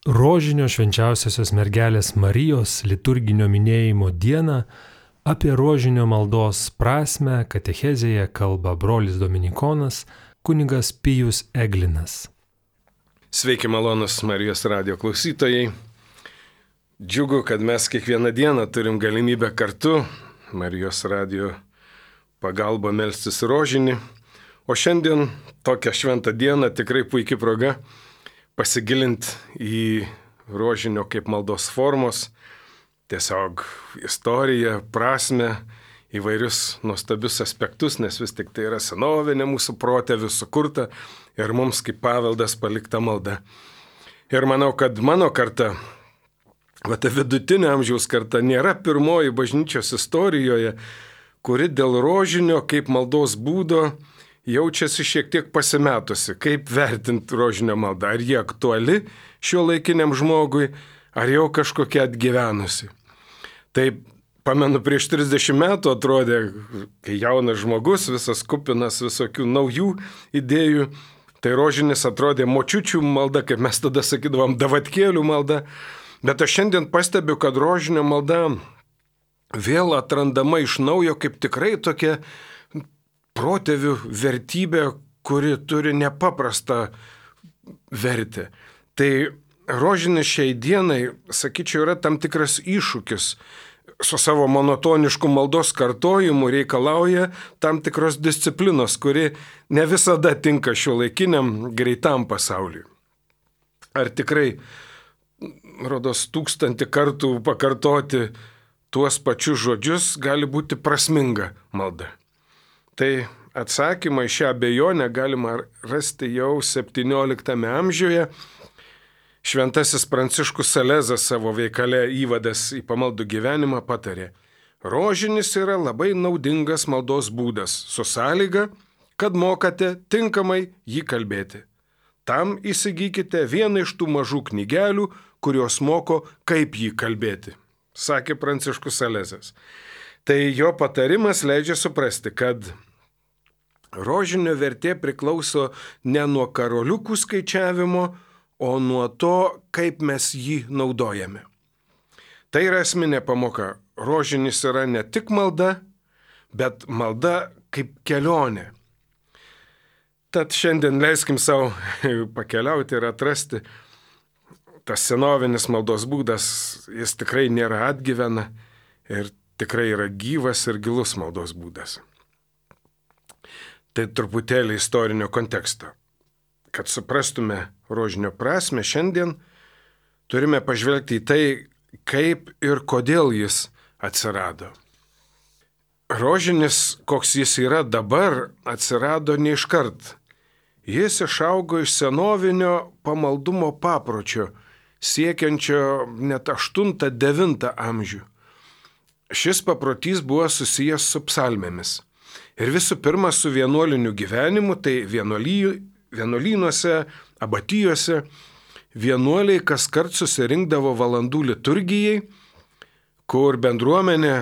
Rožinio švenčiausiosios mergelės Marijos liturginio minėjimo dieną apie rožinio maldos prasmę katechezėje kalba brolis dominikonas kunigas Pijus Eglinas. Sveiki malonus Marijos radijo klausytojai. Džiugu, kad mes kiekvieną dieną turim galimybę kartu Marijos radijo pagalba melstis rožinį. O šiandien tokią šventą dieną tikrai puikia proga pasigilinti į rožinio kaip maldos formos, tiesiog istoriją, prasmę, įvairius nuostabius aspektus, nes vis tik tai yra senovinė mūsų protėvių sukurta ir mums kaip paveldas palikta malda. Ir manau, kad mano karta, ta vidutinio amžiaus karta, nėra pirmoji bažnyčios istorijoje, kuri dėl rožinio kaip maldos būdo jaučiasi šiek tiek pasimetusi, kaip vertinti rožinio maldą. Ar jie aktuali šiuolaikiniam žmogui, ar jau kažkokia atgyvenusi. Tai pamenu, prieš 30 metų atrodė, kai jaunas žmogus, visas kupinas visokių naujų idėjų, tai rožinis atrodė močiučių malda, kaip mes tada sakydavom, davatkėlių malda. Bet aš šiandien pastebiu, kad rožinio malda vėl atrandama iš naujo kaip tikrai tokia protėvių vertybė, kuri turi nepaprastą vertę. Tai rožinis šiai dienai, sakyčiau, yra tam tikras iššūkis. Su savo monotonišku maldos kartojimu reikalauja tam tikros disciplinos, kuri ne visada tinka šiuolaikiniam greitam pasauliui. Ar tikrai, rodos, 1000 kartų pakartoti tuos pačius žodžius gali būti prasminga malda? Tai atsakymą į šią abejonę galima rasti jau 17 amžiuje. Šventasis Pranciškus Salezas savo veikale Įvadas į pamaldų gyvenimą patarė: rožinis yra labai naudingas maldos būdas, su sąlyga, kad mokate tinkamai jį kalbėti. Tam įsigykite vieną iš tų mažų knygelių, kurios moko, kaip jį kalbėti, sakė Pranciškus Salezas. Tai jo patarimas leidžia suprasti, kad rožinio vertė priklauso ne nuo karoliukų skaičiavimo, o nuo to, kaip mes jį naudojame. Tai yra esminė pamoka. Rožinis yra ne tik malda, bet malda kaip kelionė. Tad šiandien leiskim savo pakeliauti ir atrasti. Tas senovinis maldos būdas, jis tikrai nėra atgyvena ir tikrai yra gyvas ir gilus maldos būdas. Tai truputėlį istorinio konteksto. Kad suprastume rožinio prasmę, šiandien turime pažvelgti į tai, kaip ir kodėl jis atsirado. Rožinis, koks jis yra dabar, atsirado ne iškart. Jis išaugo iš senovinio pamaldumo papročio, siekiančio net 8-9 amžių. Šis paprotys buvo susijęs su psalmėmis. Ir visų pirma su vienuoliniu gyvenimu, tai vienuolynuose, abatijose, vienuoliai kaskart susirinkdavo valandų liturgijai, kur bendruomenė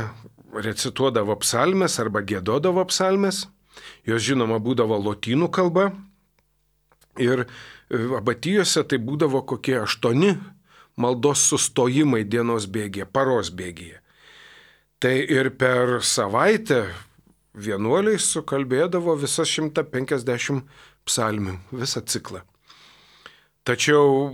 recituodavo psalmes arba giedodavo psalmes. Jos žinoma būdavo lotynų kalba ir abatijose tai būdavo kokie 8 maldos sustojimai dienos bėgyje, paros bėgyje. Tai ir per savaitę vienuoliai sukalbėdavo visas 150 psalmių, visą ciklą. Tačiau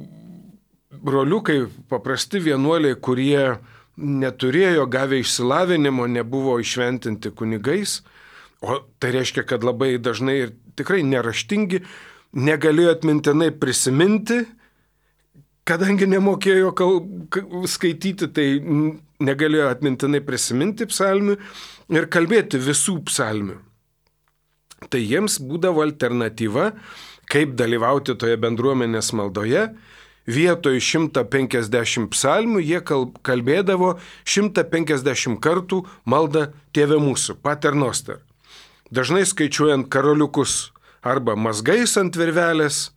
broliukai, paprasti vienuoliai, kurie neturėjo gavę išsilavinimo, nebuvo išventinti kunigais, o tai reiškia, kad labai dažnai ir tikrai neraštingi, negalėjo atmintinai prisiminti, kadangi nemokėjo skaityti, tai negalėjo atmintinai prisiminti psalmių ir kalbėti visų psalmių. Tai jiems būdavo alternatyva, kaip dalyvauti toje bendruomenės maldoje. Vietoj 150 psalmių jie kalbėdavo 150 kartų maldą Tėve mūsų, Pater Noster. Dažnai skaičiuojant karoliukus arba mazgais ant virvelės,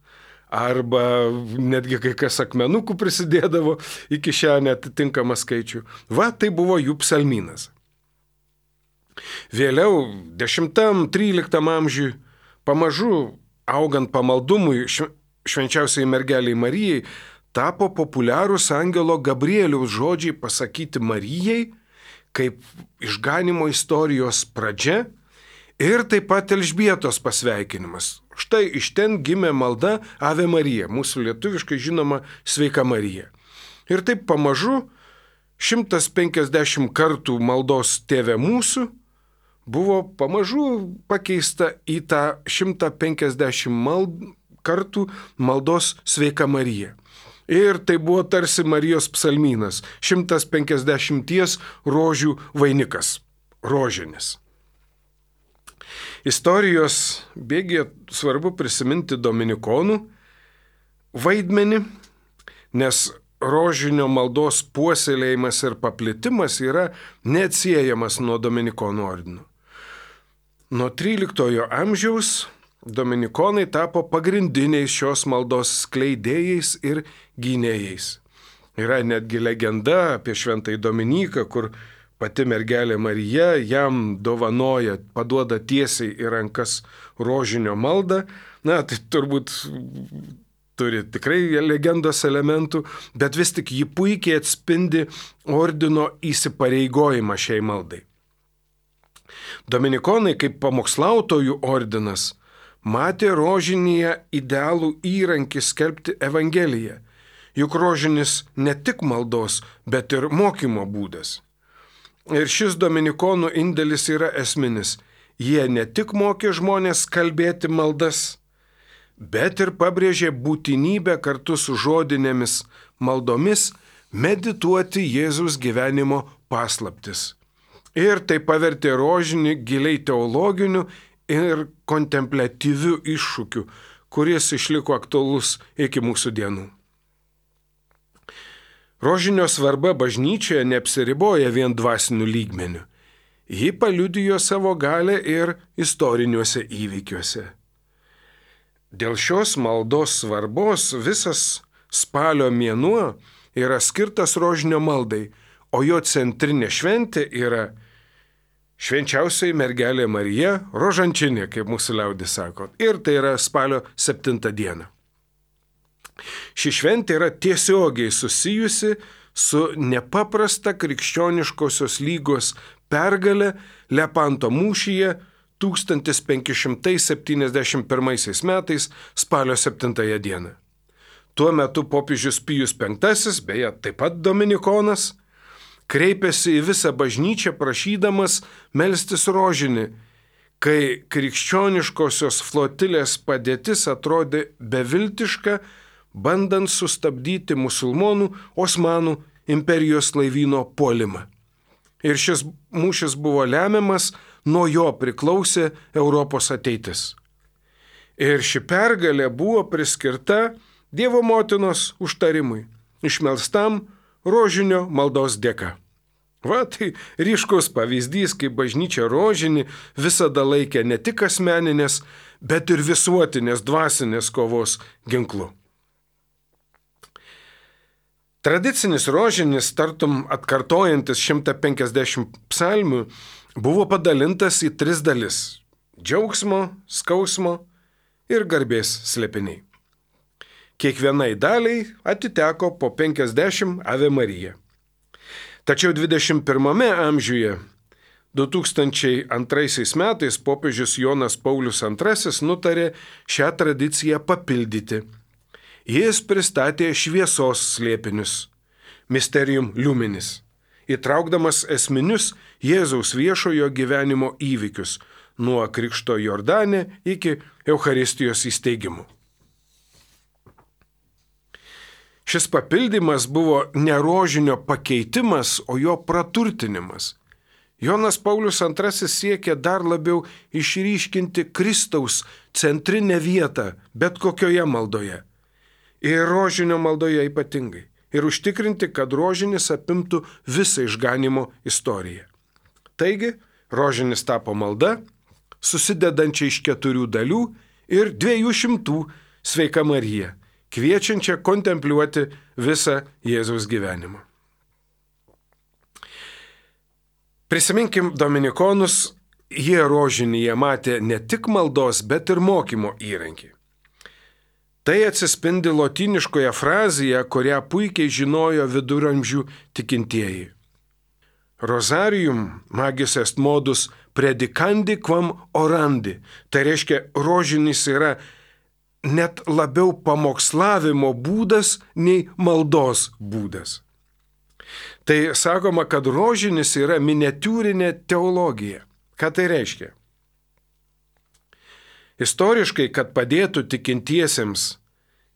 arba netgi kai kas akmenukų prisidėdavo į kišenę atitinkamą skaičių. Tai buvo jų psalmynas. Vėliau, 10-13 amžiui, pamažu augant pamaldumui švenčiausiai mergeliai Marijai, tapo populiarūs angelo Gabrieliaus žodžiai pasakyti Marijai, kaip išganimo istorijos pradžia ir taip pat Elžbietos pasveikinimas. Štai iš ten gimė malda Ave Marija, mūsų lietuviškai žinoma Sveika Marija. Ir taip pamažu 150 kartų maldos Tėve mūsų buvo pamažu pakeista į tą 150 kartų maldos Sveika Marija. Ir tai buvo tarsi Marijos psalmynas, 150 rožių vainikas, rožinis. Istorijos bėgyje svarbu prisiminti dominikonų vaidmenį, nes rožinio maldos puoselėjimas ir paplitimas yra neatsiejamas nuo dominikonų ordino. Nuo 13 amžiaus dominikonai tapo pagrindiniais šios maldos skleidėjais ir gynėjais. Yra netgi legenda apie šventąjį Dominiką, kur pati mergelė Marija jam dovanoja, paduoda tiesiai į rankas rožinio maldą. Na, tai turbūt turi tikrai legendos elementų, bet vis tik ji puikiai atspindi ordino įsipareigojimą šiai maldai. Dominikonai kaip pamokslautojų ordinas matė rožinėje idealų įrankį skelbti Evangeliją, juk rožinis ne tik maldos, bet ir mokymo būdas. Ir šis dominikonų indėlis yra esminis. Jie ne tik mokė žmonės kalbėti maldas, bet ir pabrėžė būtinybę kartu su žodinėmis maldomis medituoti Jėzaus gyvenimo paslaptis. Ir tai pavertė rožinį giliai teologiniu ir kontempliatyviu iššūkiu, kuris išliko aktualus iki mūsų dienų. Rožinio svarba bažnyčioje neapsiriboja vien dvasiniu lygmeniu. Ji paliudijo savo galę ir istoriniuose įvykiuose. Dėl šios maldos svarbos visas spalio mėnuo yra skirtas rožinio maldai, o jo centrinė šventė yra švenčiausioji mergelė Marija rožančinė, kaip mūsų liaudis sako. Ir tai yra spalio 7 diena. Ši šventė yra tiesiogiai susijusi su nepaprasta krikščioniškosios lygos pergalė Lepanto mūšyje 1571 metais spalio 7 dieną. Tuo metu popiežius Pijus V, beje, taip pat dominikonas, kreipėsi į visą bažnyčią prašydamas melstis rožinį, kai krikščioniškosios flotilės padėtis atrodė beviltiška, bandant sustabdyti musulmonų Osmanų imperijos laivyno puolimą. Ir šis mūšis buvo lemiamas, nuo jo priklausė Europos ateitis. Ir ši pergalė buvo priskirta Dievo motinos užtarimui, išmelstam rožinio maldos dėka. Va, tai ryškus pavyzdys, kaip bažnyčia rožinį visada laikė ne tik asmeninės, bet ir visuotinės dvasinės kovos ginklu. Tradicinis rožinis, tartum atkartojantis 150 psalmių, buvo padalintas į 3 dalis – džiaugsmo, skausmo ir garbės slėpiniai. Kiekvienai daliai atiteko po 50 Ave Marija. Tačiau 21 amžiuje 2002 metais popiežius Jonas Paulius II nutarė šią tradiciją papildyti. Jis pristatė šviesos slėpinius, Mysterium Luminis, įtraukdamas esminius Jėzaus viešojo gyvenimo įvykius nuo Krikšto Jordane iki Eucharistijos įsteigimo. Šis papildymas buvo ne rožinio pakeitimas, o jo praturtinimas. Jonas Paulius II siekė dar labiau išryškinti Kristaus centrinę vietą bet kokioje maldoje. Ir rožinio maldoje ypatingai. Ir užtikrinti, kad rožinis apimtų visą išganimo istoriją. Taigi, rožinis tapo malda, susidedančia iš 4 dalių ir 200 Sveika Marija, kviečiančia kontempliuoti visą Jėzaus gyvenimą. Prisiminkim dominikonus, jie rožinyje matė ne tik maldos, bet ir mokymo įrankį. Tai atsispindi lotyniškoje frazėje, kurią puikiai žinojo viduramžių tikintieji. Rosarium magis est modus predicandi quam orandi. Tai reiškia, rožinis yra net labiau pamokslavimo būdas nei maldos būdas. Tai sakoma, kad rožinis yra miniatiūrinė teologija. Ką tai reiškia? Istoriškai, kad padėtų tikintiesiems,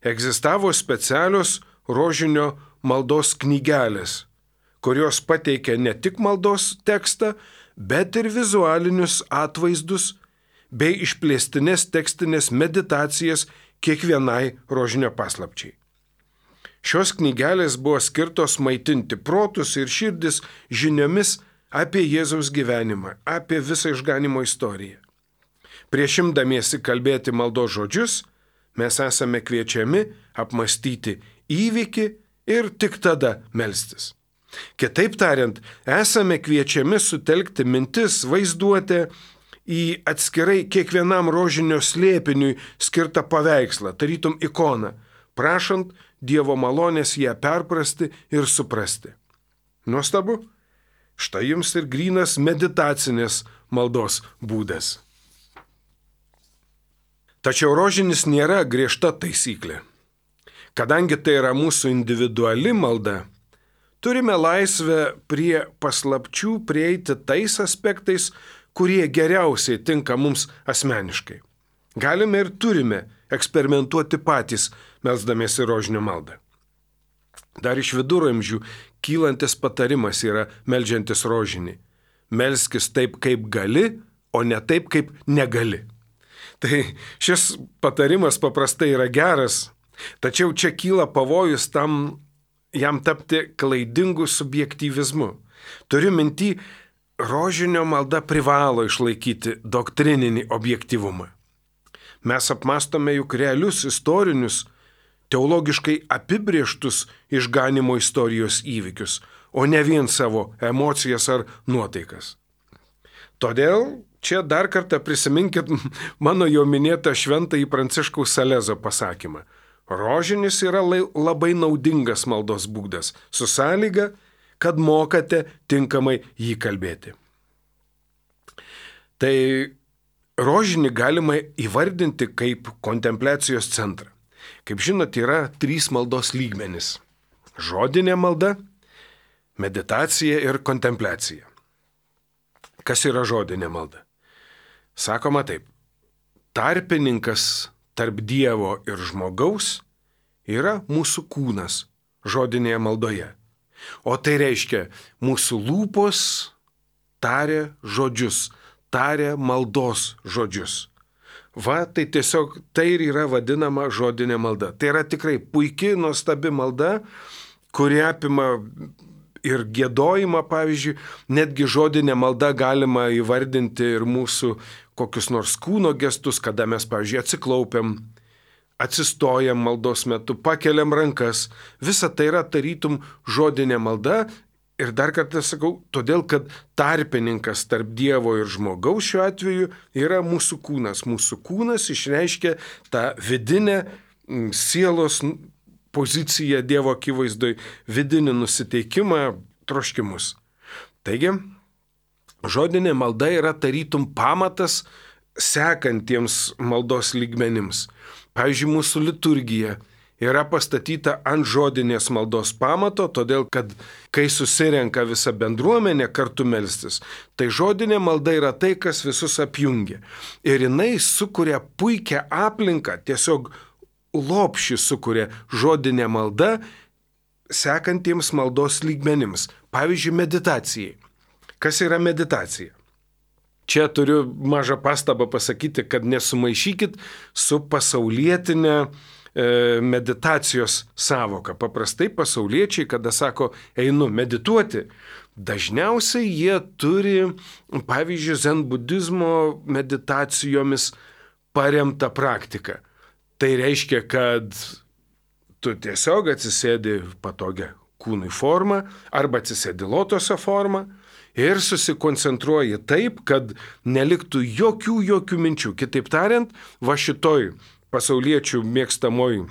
egzistavo specialios rožinio maldos knygelės, kurios pateikia ne tik maldos tekstą, bet ir vizualinius atvaizdus bei išplėstinės tekstinės meditacijas kiekvienai rožinio paslapčiai. Šios knygelės buvo skirtos maitinti protus ir širdis žiniomis apie Jėzaus gyvenimą, apie visą išganimo istoriją. Prieš imdamiesi kalbėti maldos žodžius, mes esame kviečiami apmastyti įvykį ir tik tada melstis. Kitaip tariant, esame kviečiami sutelkti mintis, vaizduotę į atskirai kiekvienam rožinio slėpiniui skirtą paveikslą, tarytum ikoną, prašant Dievo malonės ją perprasti ir suprasti. Nuostabu, štai jums ir grynas meditacinės maldos būdas. Tačiau rožinis nėra griežta taisyklė. Kadangi tai yra mūsų individuali malda, turime laisvę prie paslapčių prieiti tais aspektais, kurie geriausiai tinka mums asmeniškai. Galime ir turime eksperimentuoti patys, melsdamiesi rožinio maldą. Dar iš viduramžių kylantis patarimas yra meldžiantis rožinį. Melskis taip, kaip gali, o ne taip, kaip negali. Tai šis patarimas paprastai yra geras, tačiau čia kyla pavojus jam tapti klaidingu subjektyvizmu. Turiu minty, rožinio malda privalo išlaikyti doktrininį objektyvumą. Mes apmastome juk realius istorinius, teologiškai apibrieštus išganimo istorijos įvykius, o ne vien savo emocijas ar nuotaikas. Todėl čia dar kartą prisiminkit mano jau minėtą šventąjį Pranciškaus Salezo pasakymą. Rožinis yra labai naudingas maldos būdas, su sąlyga, kad mokate tinkamai jį kalbėti. Tai rožinį galima įvardinti kaip kontempliacijos centrą. Kaip žinot, yra 3 maldos lygmenys. Žodinė malda, meditacija ir kontempliacija. Kas yra žodinė malda? Sakoma taip, tarpininkas tarp Dievo ir žmogaus yra mūsų kūnas žodinėje maldoje. O tai reiškia, mūsų lūpos taria žodžius, taria maldos žodžius. Va, tai tiesiog tai ir yra vadinama žodinė malda. Tai yra tikrai puikiai, nuostabi malda, kuri apima ir giedojimą, pavyzdžiui, netgi žodinė malda galima įvardinti ir mūsų kokius nors kūno gestus, kada mes, pavyzdžiui, atsiklaupiam, atsistojam maldos metu, pakeliam rankas. Visa tai yra tarytum žodinė malda ir dar kartą sakau, todėl, kad tarpininkas tarp Dievo ir žmogaus šiuo atveju yra mūsų kūnas. Mūsų kūnas išreiškia tą vidinę sielos poziciją Dievo akivaizdoj, vidinį nusiteikimą, troškimus. Taigi, žodinė malda yra tarytum pamatas sekantiems maldos lygmenims. Pavyzdžiui, mūsų liturgija yra pastatyta ant žodinės maldos pamato, todėl kad kai susirenka visa bendruomenė kartu melstis, tai žodinė malda yra tai, kas visus apjungia. Ir jinai sukuria puikią aplinką, tiesiog lopšį sukuria žodinė malda sekantiems maldos lygmenims. Pavyzdžiui, meditacijai. Kas yra meditacija? Čia turiu mažą pastabą pasakyti, kad nesumaišykit su pasaulietinė meditacijos sąvoka. Paprastai pasauliečiai, kada sako, einu medituoti, dažniausiai jie turi, pavyzdžiui, zen budizmo meditacijomis paremtą praktiką. Tai reiškia, kad tu tiesiog atsisėdi patogią kūnui formą arba atsisėdi lotoso formą ir susikoncentruoji taip, kad neliktų jokių minčių. Kitaip tariant, va šitoj pasauliečių mėgstamoj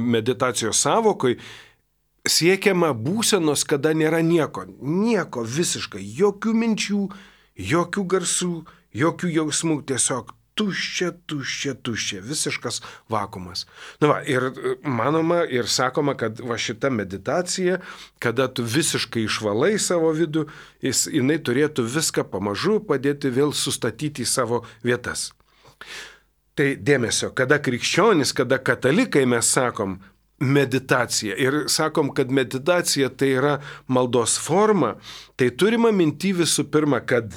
meditacijos savokoj siekiama būsenos, kada nėra nieko visiškai, jokių minčių, jokių garsų, jokių jausmų, tiesiog tuščia, visiškas vakuumas. Ir manoma ir sakoma, kad va šita meditacija, kada tu visiškai išvalai savo vidų, jinai turėtų viską pamažu padėti vėl sustatyti į savo vietas. Tai dėmesio, kada krikščionis, kada katalikai mes sakom meditacija ir sakom, kad meditacija tai yra maldos forma, tai turime minty visų pirma, kad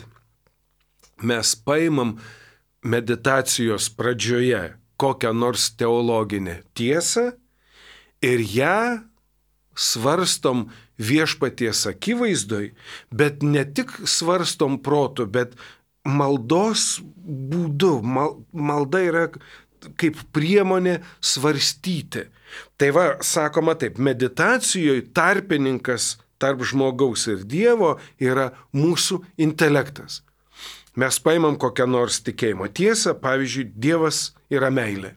mes paimam meditacijos pradžioje kokią nors teologinę tiesą ir ją svarstom viešpaties akivaizdoj, bet ne tik svarstom protu, bet maldos būdu. Malda yra kaip priemonė svarstyti. Tai va, sakoma taip, meditacijoje tarpininkas tarp žmogaus ir Dievo yra mūsų intelektas. Mes paimam kokią nors tikėjimo tiesą, pavyzdžiui, Dievas yra meilė.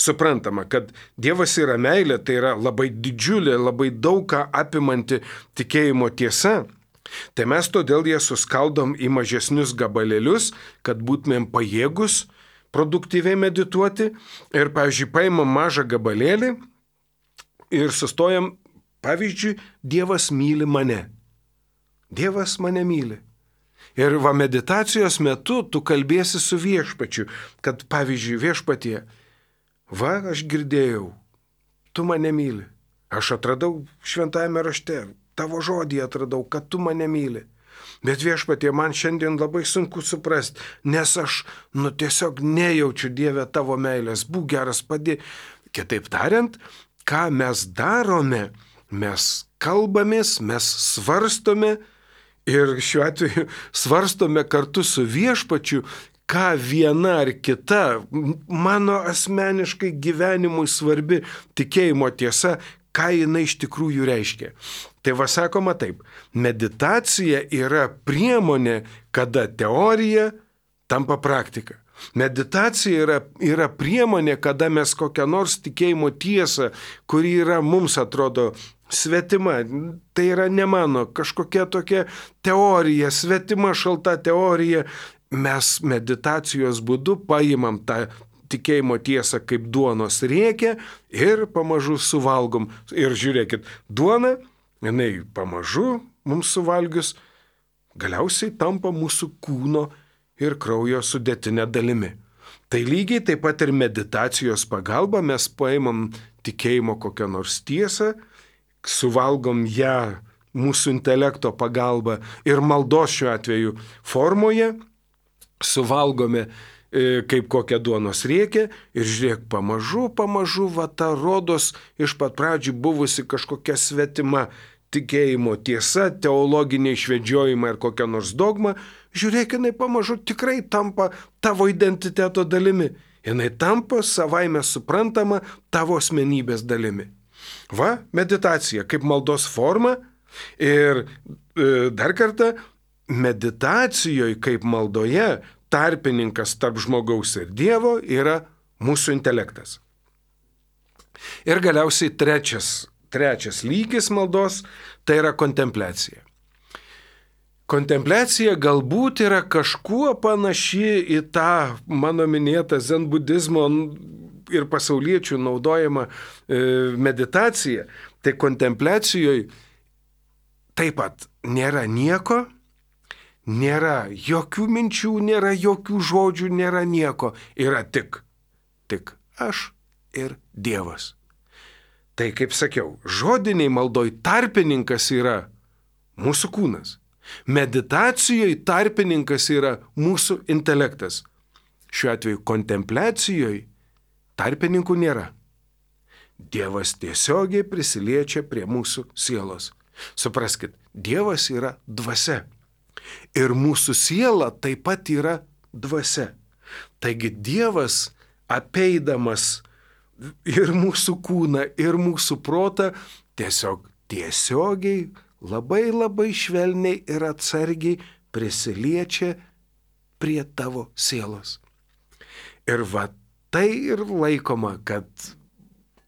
Suprantama, kad Dievas yra meilė, tai yra labai didžiulė, labai daug ką apimanti tikėjimo tiesa. Tai mes todėl ją suskaldom į mažesnius gabalėlius, kad būtumėm pajėgus produktyviai medituoti. Ir, pavyzdžiui, paimam mažą gabalėlį ir sustojam, pavyzdžiui, Dievas myli mane. Dievas mane myli. Ir va meditacijos metu tu kalbėsi su viešpačiu, kad pavyzdžiui viešpatie, va aš girdėjau, tu mane myli. Aš atradau šventajame rašte, tavo žodį atradau, kad tu mane myli. Bet viešpatie, man šiandien labai sunku suprasti, nes aš tiesiog nejaučiu Dieve tavo meilės, būk geras padėk. Kitaip tariant, ką mes darome, mes kalbamės, mes svarstome, ir šiuo atveju svarstome kartu su viešpačiu, ką viena ar kita mano asmeniškai gyvenimui svarbi tikėjimo tiesa, ką jinai iš tikrųjų reiškia. Tai va sakoma taip, meditacija yra priemonė, kada teorija tampa praktika. Meditacija yra priemonė, kada mes kokią nors tikėjimo tiesą, kuri yra mums atrodo svetima, tai yra ne mano, kažkokia tokia teorija, svetima šalta teorija, mes meditacijos būdu paimam tą tikėjimo tiesą kaip duonos riekę ir pamažu suvalgom. Ir žiūrėkit, duona, jinai pamažu mums suvalgius, galiausiai tampa mūsų kūno ir kraujo sudėtinė dalimi. Tai lygiai taip pat ir meditacijos pagalba mes paimam tikėjimo kokią nors tiesą, suvalgom ją mūsų intelekto pagalba ir maldos šiuo atveju formoje, suvalgome kaip kokią duonos riekę ir žiūrėk, pamažu, va ta rodos iš pat pradžių buvusi kažkokia svetima tikėjimo tiesa, teologiniai išvedžiojimai ar kokia nors dogma, žiūrėk, jinai pamažu tikrai tampa tavo identiteto dalimi. Jinai tampa savaime suprantama tavo asmenybės dalimi. Va, meditacija kaip maldos forma ir dar kartą, meditacijoje kaip maldoje tarpininkas tarp žmogaus ir Dievo yra mūsų intelektas. Ir galiausiai trečias lygis maldos tai yra kontempliacija. Kontempliacija galbūt yra kažkuo panaši į tą mano minėtą zen budizmo ir pasauliečių naudojama meditacija. Tai kontempliacijoje taip pat nėra nieko, nėra jokių minčių, nėra jokių žodžių, nėra nieko. Yra tik aš ir Dievas. Tai kaip sakiau, žodiniai maldoj tarpininkas yra mūsų kūnas. Meditacijoje tarpininkas yra mūsų intelektas. Šiuo atveju kontempliacijoje tarpininkų nėra. Dievas tiesiogiai prisiliečia prie mūsų sielos. Supraskit, Dievas yra dvasia. Ir mūsų siela taip pat yra dvasia. Taigi Dievas apeidamas ir mūsų kūną, ir mūsų protą tiesiogiai, labai švelniai ir atsargiai prisiliečia prie tavo sielos. Ir va tai ir laikoma, kad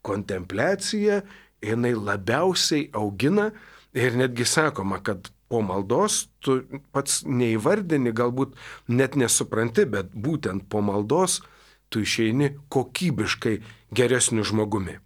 kontempliacija jinai labiausiai augina ir netgi sakoma, kad po maldos tu pats neįvardini, galbūt net nesupranti, bet būtent po maldos tu išeini kokybiškai geresniu žmogumi.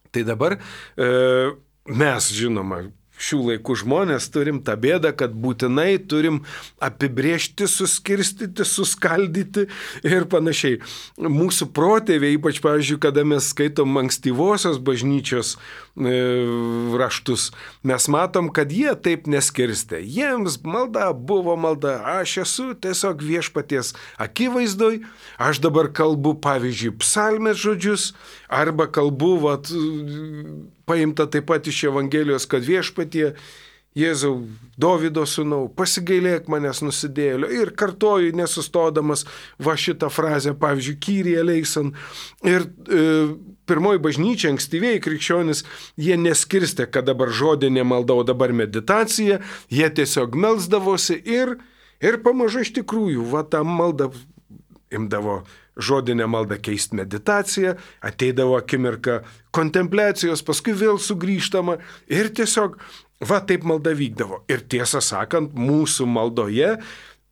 Tai dabar mes, žinoma, šių laikų žmonės turim tą bėdą, kad būtinai turim apibrėžti, suskirstyti, suskaldyti ir panašiai. Mūsų protėviai, ypač, pavyzdžiui, kada mes skaitom ankstyvosios bažnyčios raštus, mes matom, kad jie taip neskirstė. Jiems malda buvo malda. Aš esu tiesiog viešpaties akivaizdoj, aš dabar kalbu, pavyzdžiui, psalmės žodžius, arba kalbu, paimta taip pat iš Evangelijos, kad viešpatie, Jėzau, Dovydo sūnau, pasigailėk manęs nusidėjėlio, ir kartoju nesustodamas šitą frazę, pavyzdžiui, Kyrie eleison. Ir pirmoji bažnyčia, ankstyvieji krikščionys, jie neskirstė, kad dabar žodinė malda, o dabar meditacija, jie tiesiog melsdavosi ir pamažu iš tikrųjų, tą maldą imdavo žodinę maldą keisti meditaciją, ateidavo akimirka kontempliacijos, paskui vėl sugrįžtama ir tiesiog taip malda vykdavo. Ir tiesą sakant, mūsų maldoje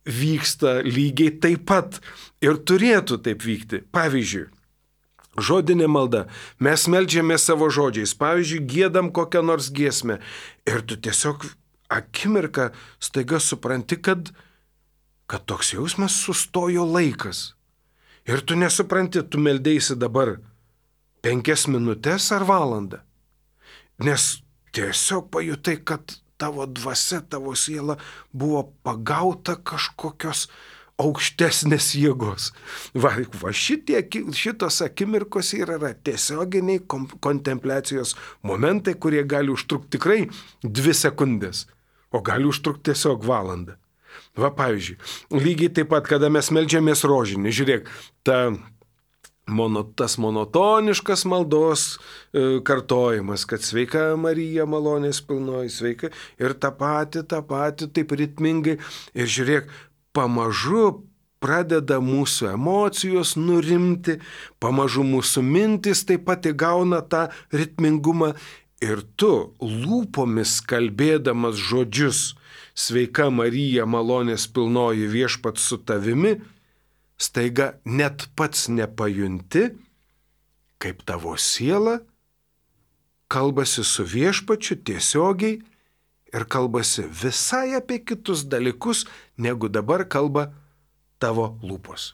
vyksta lygiai taip pat ir turėtų taip vykti. Pavyzdžiui, žodinė malda, mes meldžiame savo žodžiais, pavyzdžiui, giedam kokią nors giesmę ir tu tiesiog akimirką staiga supranti, kad toks jausmas sustojo laikas. Ir tu nesupranti, tu meldėsi dabar 5 minutės ar valandą. Nes tiesiog pajutai, kad tavo dvasia, tavo siela buvo pagauta kažkokios aukštesnės jėgos. Šitos akimirkos yra tiesioginiai kontempliacijos momentai, kurie gali užtrukti tikrai 2 sekundės, o gali užtrukti tiesiog valandą. Pavyzdžiui, lygiai taip pat, kada mes meldžiamės rožinį, žiūrėk, tas monotoniškas maldos kartojimas, kad sveika Marija malonės pilnoji, sveika, ir tą patį, taip ritmingai, ir žiūrėk, pamažu pradeda mūsų emocijos nurimti, pamažu mūsų mintis taip pat įgauna tą ritmingumą, ir tu lūpomis kalbėdamas žodžius, sveika Marija malonės pilnoji, viešpats su tavimi, staiga net pats nepajunti, kaip tavo siela kalbasi su viešpačiu tiesiogiai ir kalbasi visai apie kitus dalykus, negu dabar kalba tavo lūpos.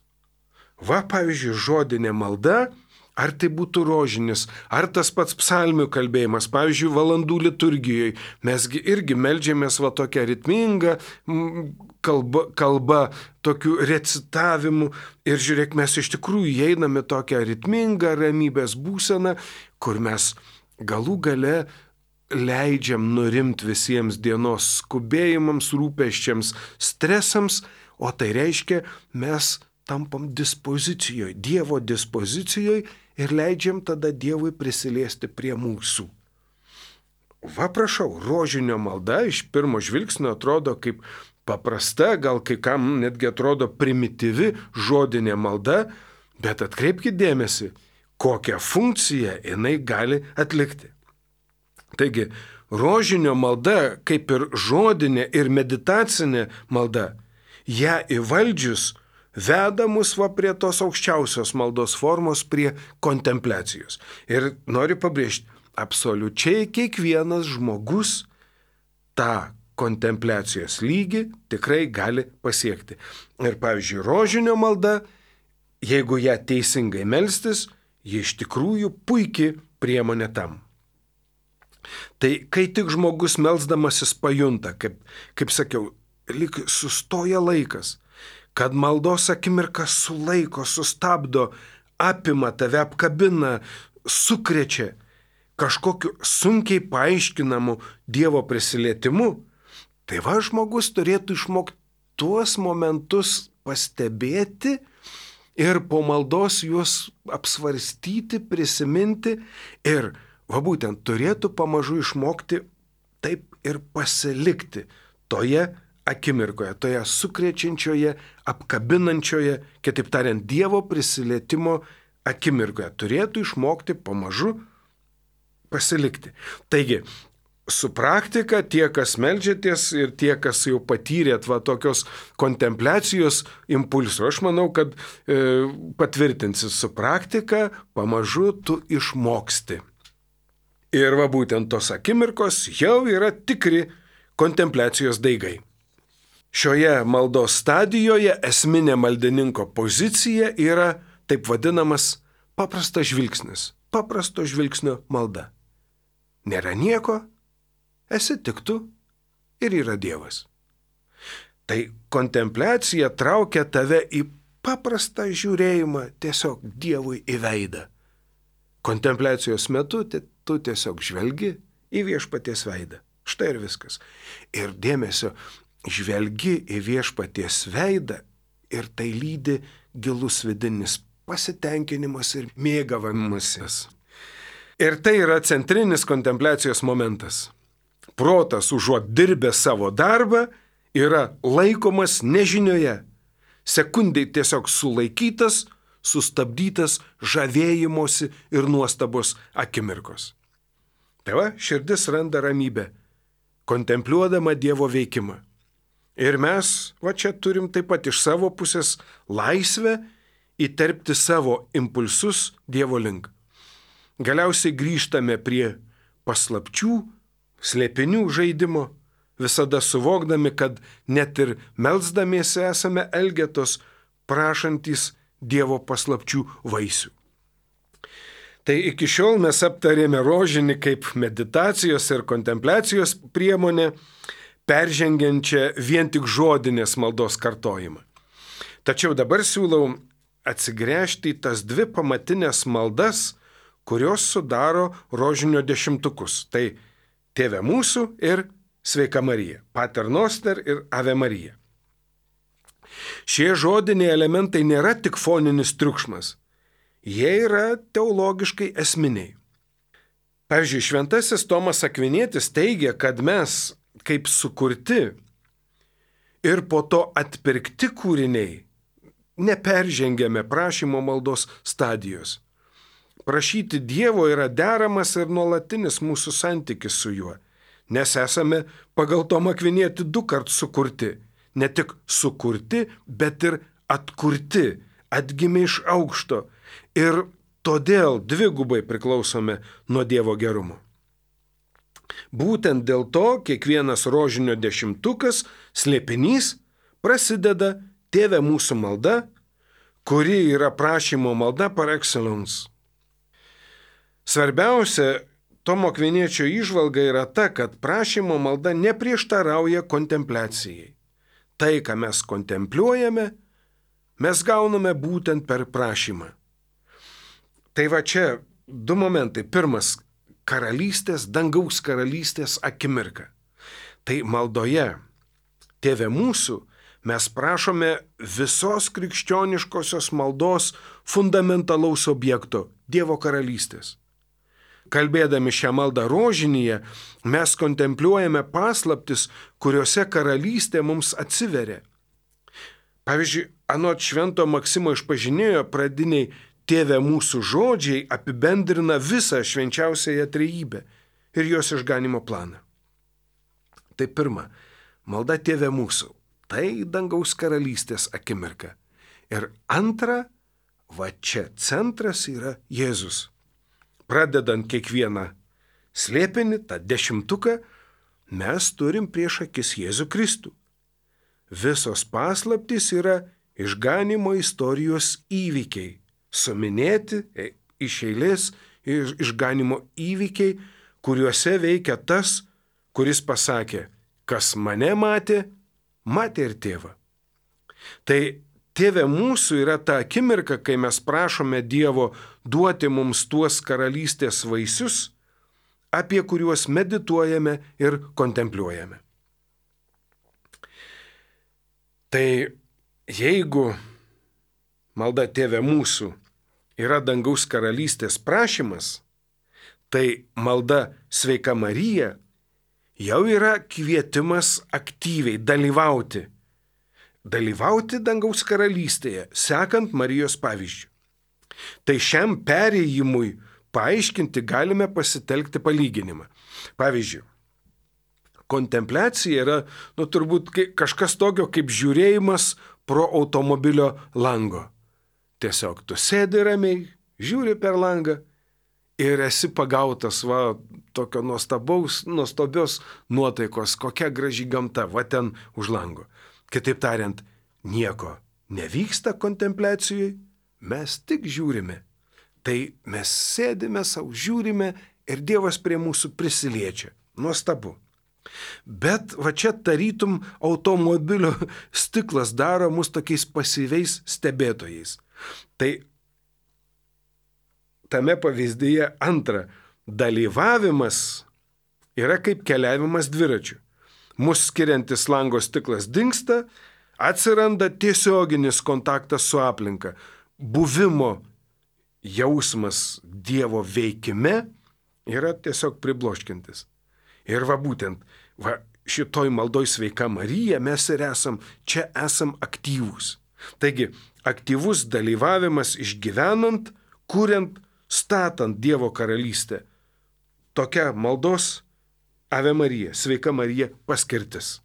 Pavyzdžiui, žodinė malda, ar tai būtų rožinis, ar tas pats psalmių kalbėjimas, pavyzdžiui, valandų liturgijoje, mesgi irgi meldžiamės tokią ritmingą kalbą, tokių recitavimų, ir žiūrėk, mes iš tikrųjų einame tokią ritmingą ramybės būseną, kur mes galų gale leidžiam nurimti visiems dienos skubėjimams, rūpesčiams, stresams, o tai reiškia, mes tampam dispozicijoje, Dievo dispozicijoje, ir leidžiam tada Dievui prisiliesti prie mūsų. Prašau, rožinio malda iš pirmo žvilgsnio atrodo kaip paprasta, gal kai kam netgi atrodo primityvi žodinė malda, bet atkreipkite dėmesį, kokią funkciją jinai gali atlikti. Taigi, rožinio malda, kaip ir žodinė ir meditacinė malda, ją įvaldžius veda mus prie tos aukščiausios maldos formos, prie kontempliacijos. Ir noriu pabrėžti, absoliučiai kiekvienas žmogus tą kontempliacijos lygį tikrai gali pasiekti. Ir pavyzdžiui, rožinio malda, jeigu ją teisingai melstis, ji iš tikrųjų puikiai priemonė tam. Tai kai tik žmogus melsdamasis pajunta, kaip sakiau, lyg sustoja laikas, kad maldos akimirka sulaiko, sustabdo, apima tave, apkabina, sukrečia kažkokiu sunkiai paaiškinamu Dievo prisilietimu, tai žmogus turėtų išmokti tuos momentus pastebėti ir po maldos juos apsvarstyti, prisiminti ir būtent turėtų pamažu išmokti taip ir pasilikti toje akimirkoje, toje sukrečiančioje, apkabinančioje, kitaip tariant, Dievo prisilietimo akimirkoje turėtų išmokti pamažu pasilikti. Taigi, su praktika tie, kas meldžiatės ir tie, kas jau patyrėt tokios kontempliacijos impulsų, aš manau, kad patvirtinsi su praktika, pamažu tu išmoksti. Ir būtent tos akimirkos jau yra tikri kontempliacijos daigai. Šioje maldos stadijoje esminė maldininko pozicija yra taip vadinamas paprastas žvilgsnis, paprasto žvilgsnio malda. Nėra nieko, esi tik tu ir yra Dievas. Tai kontempliacija traukia tave į paprastą žiūrėjimą tiesiog Dievui į veidą. Kontempliacijos metu tu tiesiog žvelgi į viešpaties veidą. Štai ir viskas. Ir dėmesio, žvelgi į viešpaties veidą ir tai lydi gilus vidinis pasitenkinimas ir mėgavimasis. Ir tai yra centrinis kontempliacijos momentas. Protas užuot dirbęs savo darbą yra laikomas nežinioje. Sekundai tiesiog sulaikytas, sustabdytas žavėjimosi ir nuostabos akimirkos. Tai širdis randa ramybę, kontempliuodama Dievo veikimą. Ir mes čia turim taip pat iš savo pusės laisvę įterpti savo impulsus Dievo link. Galiausiai grįžtame prie paslapčių, slėpinių žaidimo, visada suvokdami, kad net ir melsdamiesi esame elgetos, prašantys Dievo paslapčių vaisių. Tai iki šiol mes aptarėme rožinį kaip meditacijos ir kontempliacijos priemonę, peržengiančią vien tik žodinės maldos kartojimą. Tačiau dabar siūlau atsigręžti į tas dvi pamatinės maldas, kurios sudaro rožinio dešimtukus. Tai Tėve mūsų ir Sveika Marija, Pater Noster ir Ave Marija. Šie žodiniai elementai nėra tik foninis triukšmas, jie yra teologiškai esminiai. Pavyzdžiui, šventasis Tomas Akvinietis teigia, kad mes, kaip sukurti ir po to atpirkti kūriniai, neperžengėme prašymo maldos stadijos. Prašyti Dievo yra deramas ir nuolatinis mūsų santykis su juo, nes esame pagal Tomą Akvinietį 2 kartus sukurti. Ne tik sukurti, bet ir atkurti, atgimė iš aukšto ir todėl dvigubai priklausome nuo Dievo gerumo. Būtent dėl to kiekvienas rožinio dešimtukas, slėpinys, prasideda Tėve mūsų malda, kuri yra prašymo malda par excellence. Svarbiausia Tomo Akviniečio įžvalga yra ta, kad prašymo malda neprieštarauja kontempliacijai. Tai, ką mes kontempliuojame, mes gauname būtent per prašymą. Tai čia 2 momentai. Pirmas – karalystės, dangaus karalystės akimirka. Tai maldoje Tėve mūsų mes prašome visos krikščioniškosios maldos fundamentalaus objekto – Dievo karalystės. Kalbėdami šią maldą rožinyje, mes kontempliuojame paslaptis, kuriuose karalystė mums atsiveria. Pavyzdžiui, anot švento Maksimo Išpažinėjo pradiniai Tėve mūsų žodžiai apibendrina visą švenčiausiąją trejybę ir jos išganimo planą. Tai pirma, malda Tėve mūsų, tai dangaus karalystės akimirka. Ir antra, čia centras yra Jėzus. Pradedant kiekvieną slėpinį, tą dešimtuką, mes turim prieš akis Jėzų Kristų. Visos paslaptys yra išganimo istorijos įvykiai, suminėti iš eilės išganimo įvykiai, kuriuose veikia tas, kuris pasakė, kas mane matė, matė ir tėvą. Tai Tėve mūsų yra ta akimirka, kai mes prašome Dievo duoti mums tuos karalystės vaisius, apie kuriuos medituojame ir kontempliuojame. Tai jeigu malda Tėve mūsų yra dangaus karalystės prašymas, tai malda Sveika Marija jau yra kvietimas aktyviai dalyvauti. Dalyvauti dangaus karalystėje, sekant Marijos pavyzdžiu. Tai šiam perėjimui paaiškinti galime pasitelkti palyginimą. Pavyzdžiui, kontempliacija yra, turbūt kažkas tokio kaip žiūrėjimas pro automobilio lango. Tiesiog tu sėdi ramiai, žiūri per langą ir esi pagautas tokio nuostabios nuotaikos, kokia graži gamta, ten už lango. Kitaip tariant, nieko nevyksta kontempliacijoje, mes tik žiūrime. Tai mes sėdime, savo žiūrime ir Dievas prie mūsų prisiliečia. Nuostabu. Bet čia tarytum automobilio stiklas daro mus tokiais pasyviais stebėtojais. Tai tame pavyzdyje antra, dalyvavimas yra kaip keliavimas dviračiu. Mūsų skiriantis lango stiklas dingsta, atsiranda tiesioginis kontaktas su aplinka, buvimo jausmas Dievo veikime yra tiesiog pribloškintis. Ir būtent, šitoj maldoj Sveika Marija mes ir esam aktyvūs. Taigi, aktyvus dalyvavimas išgyvenant, kuriant, statant Dievo karalystę. Tokia maldos Ave Marija, Sveika Marija paskirtis.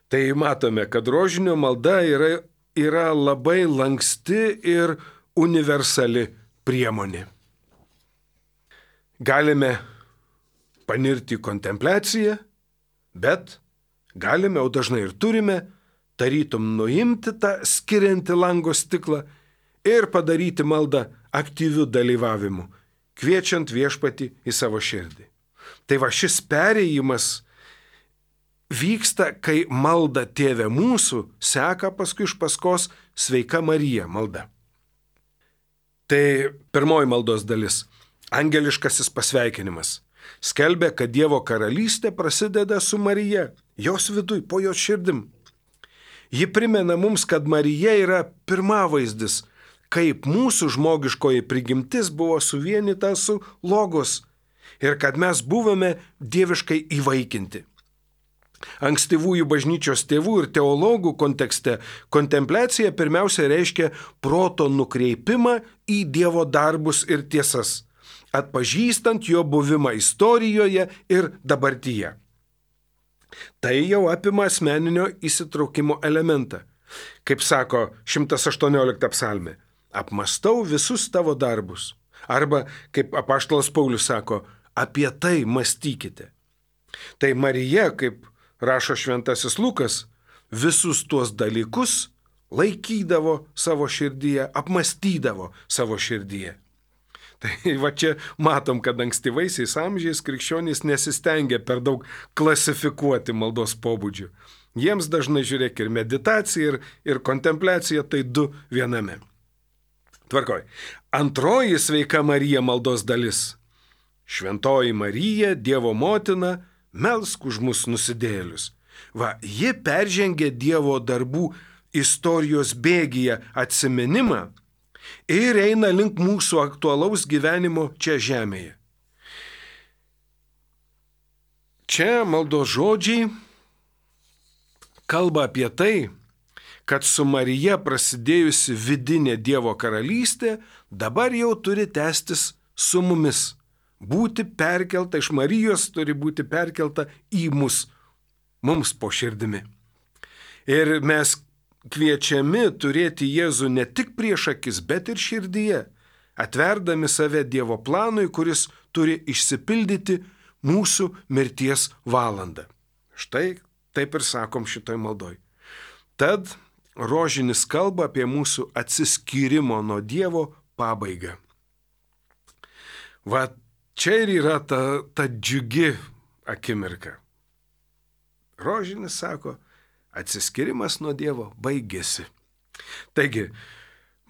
Tai matome, kad rožinio malda yra labai lanksti ir universali priemonė. Galime panirti į kontempliaciją, bet galime, o dažnai ir turime, tarytum nuimti tą skiriantį lango stiklą ir padaryti maldą aktyviu dalyvavimu, kviečiant viešpatį į savo širdį. Tai šis perėjimas vyksta, kai malda Tėve mūsų seka paskui iš paskos Sveika Marija malda. Tai pirmoji maldos dalis – angeliškasis pasveikinimas. Skelbia, kad Dievo karalystė prasideda su Marija, jos viduj, po jos širdim. Ji primena mums, kad Marija yra pirmavaizdis, kaip mūsų žmogiškoji prigimtis buvo suvienyta su logos ir kad mes buvome dieviškai įvaikinti. Ankstyvųjų bažnyčios tėvų ir teologų kontekste kontempliacija pirmiausia reiškia proto nukreipimą į Dievo darbus ir tiesas, atpažįstant jo buvimą istorijoje ir dabartyje. Tai jau apima asmeninio įsitraukimo elementą. Kaip sako 118 psalmė, apmastau visus tavo darbus. Arba, kaip apaštalas Paulius sako, apie tai mąstykite. Tai Marija, kaip rašo šventasis Lukas, visus tuos dalykus laikydavo savo širdyje, apmastydavo savo širdyje. Tai čia matom, kad ankstyvaisiais amžiais krikščionys nesistengia per daug klasifikuoti maldos pobūdžių. Jiems dažnai žiūrėk ir meditacija, ir kontempliacija, tai du viename. Tvarkoj. Antroji Sveika Marija maldos dalis. Šventoji Marija, Dievo motina, melsk už mus nusidėjėlius. Ji peržengė Dievo darbų istorijos bėgyje atsiminimą ir eina link mūsų aktualaus gyvenimo čia žemėje. Čia maldos žodžiai kalba apie tai, kad su Marija prasidėjusi vidinė Dievo karalystė dabar jau turi tęstis su mumis. Būti perkelta iš Marijos turi būti perkelta į mus, mums po širdimi. Ir mes kviečiami turėti Jėzų ne tik prieš akis, bet ir širdyje, atverdami save Dievo planui, kuris turi išsipildyti mūsų mirties valandą. Štai taip ir sakom šitoj maldoj. Tad rožinis kalba apie mūsų atsiskyrimo nuo Dievo pabaigą. Čia ir yra ta džiugi akimirka. Rožinis sako, atsiskyrimas nuo Dievo baigėsi. Taigi,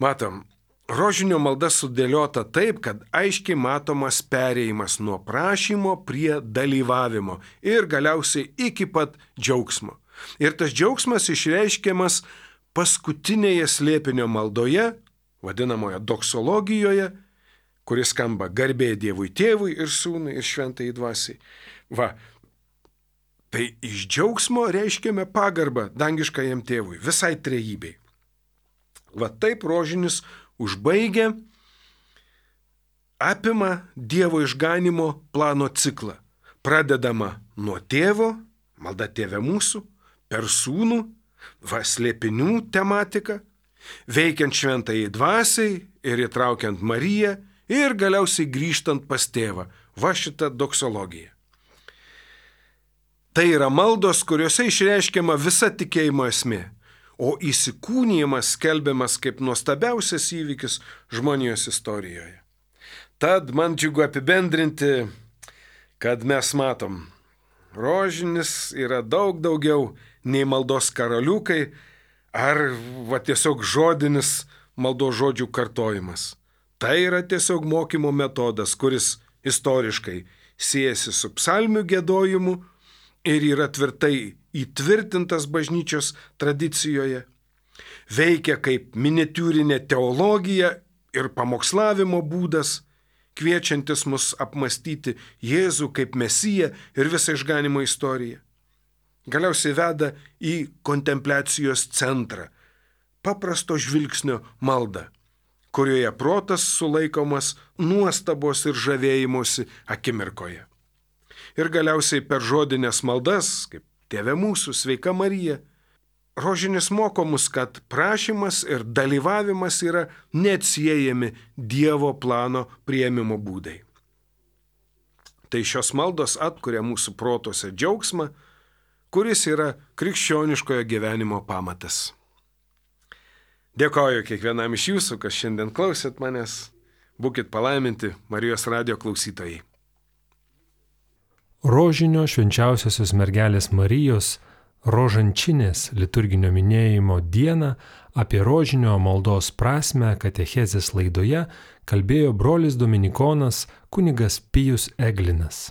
matom, rožinio malda sudėliota taip, kad aiškiai matomas perėjimas nuo prašymo prie dalyvavimo ir galiausiai iki pat džiaugsmo. Ir tas džiaugsmas išreiškiamas paskutinėje slėpinio maldoje, vadinamoje doksologijoje, kuris skamba garbė Dievui Tėvui ir Sūnui ir Šventajai Dvasiai. Va, tai iš džiaugsmo reiškiame pagarbą dangiškajam Tėvui, visai trejybei. Va taip rožinis užbaigia, apima Dievo išganimo plano ciklą. Pradedama nuo Tėvo, malda Tėve mūsų, per Sūnų, va slėpinių tematika, veikiant Šventajai Dvasiai ir įtraukiant Mariją ir galiausiai grįžtant pas Tėvą. Va šita doksologija. Tai yra maldos, kuriuose išreiškiama visa tikėjimo esmė, o įsikūnijimas skelbiamas kaip nuostabiausias įvykis žmonijos istorijoje. Tad man džiugu apibendrinti, kad mes matom, rožinis yra daug daugiau nei maldos karaliukai ar tiesiog žodinis maldos žodžių kartojimas. Tai yra tiesiog mokymo metodas, kuris istoriškai siejasi su psalmių giedojimu ir yra tvirtai įtvirtintas bažnyčios tradicijoje, veikia kaip miniatiūrinė teologija ir pamokslavimo būdas, kviečiantis mus apmastyti Jėzų kaip Mesiją ir visą išganimo istoriją. Galiausiai veda į kontempliacijos centrą, paprasto žvilgsnio maldą, kurioje protas sulaikomas nuostabos ir žavėjimosi akimirkoje. Ir galiausiai per žodinės maldas, kaip Tėve mūsų, Sveika Marija, rožinis moko mus, kad prašymas ir dalyvavimas yra neatsiejami Dievo plano priėmimo būdai. Tai šios maldos atkuria mūsų protuose džiaugsmą, kuris yra krikščioniškojo gyvenimo pamatas. Dėkoju kiekvienam iš jūsų, kas šiandien klausėt manęs. Būkit palaiminti, Marijos radijo klausytojai. Rožinio švenčiausiosios mergelės Marijos rožančinės liturginio minėjimo dieną apie rožinio maldos prasmę katechezės laidoje kalbėjo brolis dominikonas kunigas Pijus Eglinas.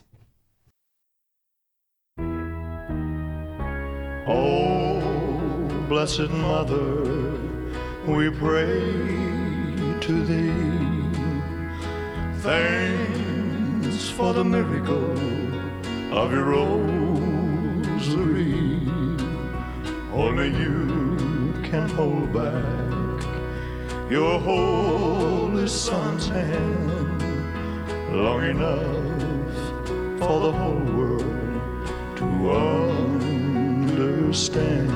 Oh, blessed Mother, we pray to thee. Thanks for the miracle of your rosary. Only you can hold back your holy Son's hand long enough for the whole world to understand.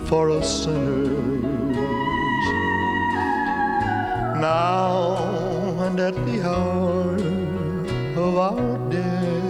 For us sinners, now and at the hour of our death.